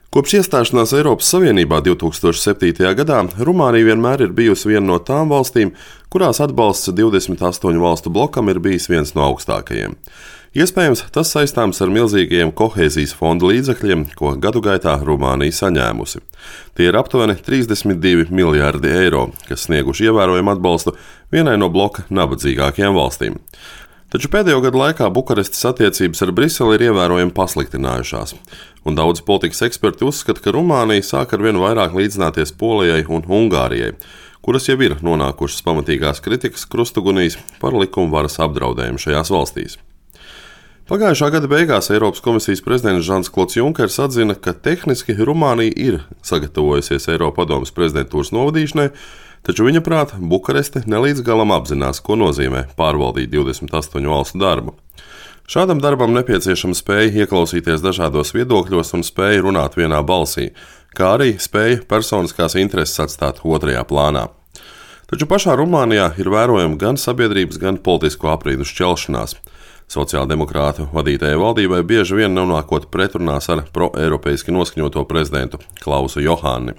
Kopš iestāšanās Eiropas Savienībā 2007. gadā Rumānija vienmēr ir bijusi viena no tām valstīm, kurās atbalsts 28 valstu blokam ir bijis viens no augstākajiem. Iespējams, tas saistāms ar milzīgajiem kohēzijas fonda līdzekļiem, ko gadu gaitā Rumānija saņēmusi. Tie ir aptuveni 32 miljārdi eiro, kas snieguši ievērojumu atbalstu vienai no bloka nabadzīgākajām valstīm. Taču pēdējo gadu laikā Bukarestes attiecības ar Briseli ir ievērojami pasliktinājušās, un daudzi politikas eksperti uzskata, ka Rumānija sāk ar vien vairāk līdzināties Polijai un Ungārijai, kuras jau ir nonākušas pamatīgās kritikas krustugunīs par likuma varas apdraudējumu šajās valstīs. Pagājušā gada beigās Eiropas komisijas prezidents Žans-Klods Junkers atzina, ka tehniski Rumānija ir sagatavojusies Eiropadomes prezidentūras novadīšanai, taču viņa prāt Bukareste nelīdz galam apzinās, ko nozīmē pārvaldīt 28 valstu darbu. Šādam darbam nepieciešama spēja ieklausīties dažādos viedokļos un spēja runāt vienā balsī, kā arī spēja personiskās intereses atstāt otrajā plānā. Taču pašā Rumānijā ir vērojama gan sabiedrības, gan politisko aprīdu šķelšanās. Sociāldemokrātu vadītajai valdībai bieži vien nonākot pretrunās ar pro-eiropeiski noskaņoto prezidentu Klausu Johāni.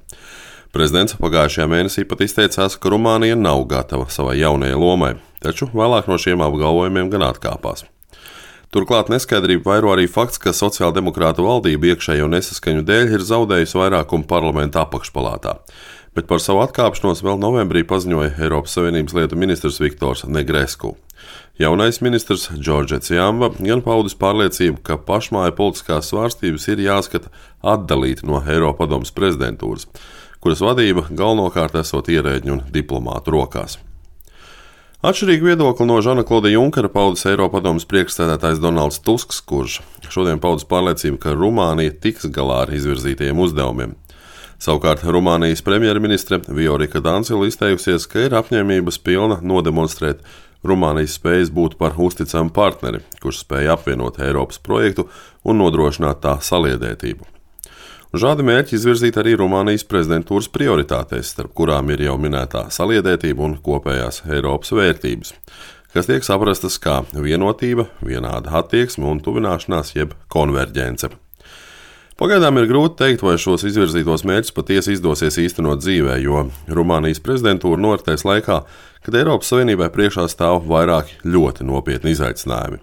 Prezidents pagājušajā mēnesī pat izteicās, ka Rumānija nav gatava savai jaunajai lomai, taču vēlāk no šiem apgalvojumiem gan atkāpās. Turklāt neskaidrību vairo arī fakts, ka sociāldemokrātu valdība iekšējo nesaskaņu dēļ ir zaudējusi vairākumu parlamenta apakšpalātā, bet par savu atkāpšanos vēl novembrī paziņoja Eiropas Savienības lietu ministrs Viktors Negresku. Jaunais ministrs Džordžets Jamba gan paudis pārliecību, ka pašmāju politiskās svārstības ir jāskata atdalīti no Eiropadomes prezidentūras, kuras vadība galvenokārt esot ierēģņu un diplomātu rokās. Atšķirīgu viedokli no Žana-Kloda Junkera paudis Eiropadomes priekšsēdētājs Donalds Tusks, kurš šodien paudis pārliecību, ka Rumānija tiks galā ar izvirzītajiem uzdevumiem. Savukārt Rumānijas premjerministre Viorika Dancila izteikusies, ka ir apņēmības pilna nodemonstrēt Rumānijas spējas būt par uzticamu partneri, kurš spēja apvienot Eiropas projektu un nodrošināt tā saliedētību. Šādi mērķi izvirzīt arī Rumānijas prezidentūras prioritātēs, starp kurām ir jau minētā saliedētība un kopējās Eiropas vērtības, kas tiek saprastas kā vienotība, vienāda attieksme un tuvināšanās jeb konverģence. Pagaidām ir grūti teikt, vai šos izvirzītos mērķus patiesi izdosies īstenot dzīvē, jo Rumānijas prezidentūra noritēs laikā, kad Eiropas Savienībai priekšā stāv vairāki ļoti nopietni izaicinājumi.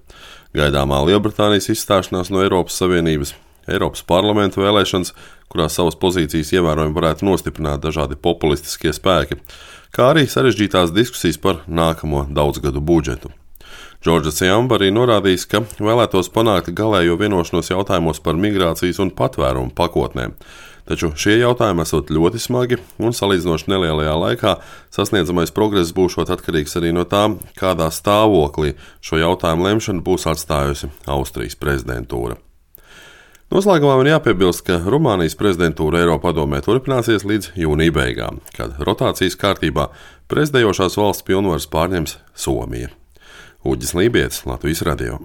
Gaidāmā Lielbritānijas izstāšanās no Eiropas Savienības, Eiropas parlamenta vēlēšanas, kurās savas pozīcijas ievērojami varētu nostiprināt dažādi populistiskie spēki, kā arī sarežģītās diskusijas par nākamo daudzgadu budžetu. Džordžets Jamba arī norādījis, ka vēlētos panākt galējo vienošanos jautājumos par migrācijas un patvērumu pakotnēm, taču šie jautājumi esot ļoti smagi un salīdzinoši nelielajā laikā sasniedzamais progress būšot atkarīgs arī no tā, kādā stāvoklī šo jautājumu lemšana būs atstājusi Austrijas prezidentūra. Noslēgumā man jāpiebilst, ka Rumānijas prezidentūra Eiropadomē turpināsies līdz jūnija beigām, kad rotācijas kārtībā prezidējošās valsts pilnvaras pārņems Somija. Uģis Lībietis, Latvijas radio.